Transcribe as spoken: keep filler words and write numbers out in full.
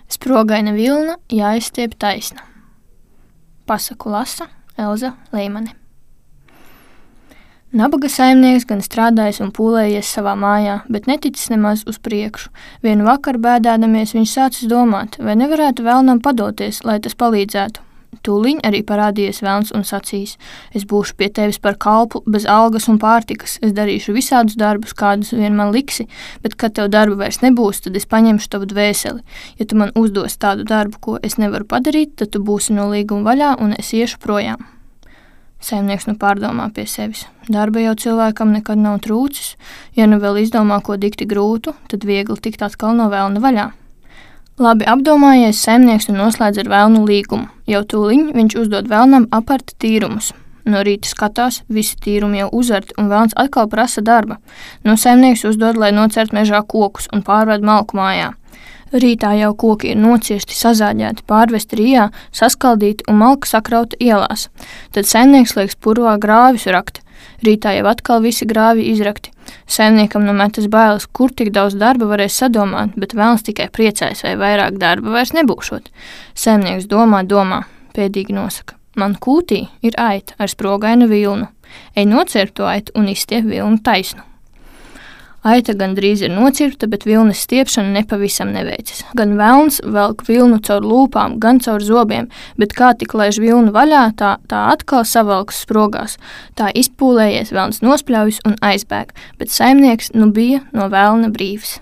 Sprogaina vilna jāizstiep taisna. Pasaku lasa Elza Leimane. Nabaga saimnieks gan strādājis un pūlējies savā mājā, bet neticis nemaz uz priekšu. Vienu vakaru bēdādamies viņš sācis domāt, vai nevarētu vēlnam padoties, lai tas palīdzētu. Tūliņ arī parādījies velns un sacījis: es būšu pie tevis par kalpu, bez algas un pārtikas, es darīšu visādus darbus, kādus vien man liksi, bet, kad tev darba vairs nebūs, tad es paņemšu tavu dvēseli. Ja tu man uzdos tādu darbu, ko es nevaru padarīt, tad tu būsi no līguma vaļā un es iešu projām. Saimnieks nu pārdomā pie sevis. Darba jau cilvēkam nekad nav trūcis, ja nu vēl izdomā ko dikti grūtu, tad viegli tikt atkal no velna vaļā. Labi apdomājies, saimnieks nu noslēdz ar velnu līgumu. Jau tūliņ viņš uzdod velnam aparta tīrumus. No rīta skatās, visi tīrumi jau uzarti, un velns atkal prasa darba. No saimnieks uzdod, lai nocert mežā kokus un pārved malku mājā. Rītā jau koki ir nociesti, sazāģēti, pārvesti rijā, saskaldīti un malka sakrauta ielās. Tad saimnieks liek purvā grāvis rakt. Rītā jau atkal visi grāvi izrakti. Saimniekam nu metas bailes, kur tik daudz darba varēs sadomāt, bet velns tikai priecājas, vai vairāk darba vairs nebūšot. Saimnieks domā, domā, pēdīgi nosaka: man kūtī ir aita ar sprogainu vilnu. Ej nocirpt to aitu un izstiep vilnu taisnu. Aita gan drīz ir nocirpta, bet vilnas stiepšana nepavisam neveicas. Gan velns velk vilnu caur lūpām, gan caur zobiem, bet kā tik laiž vilnu vaļā, tā, tā atkal savelkas sprogās. Tā izpūlējies, velns nospļaujas un aizbēg, bet saimnieks nu bija no velna brīvs.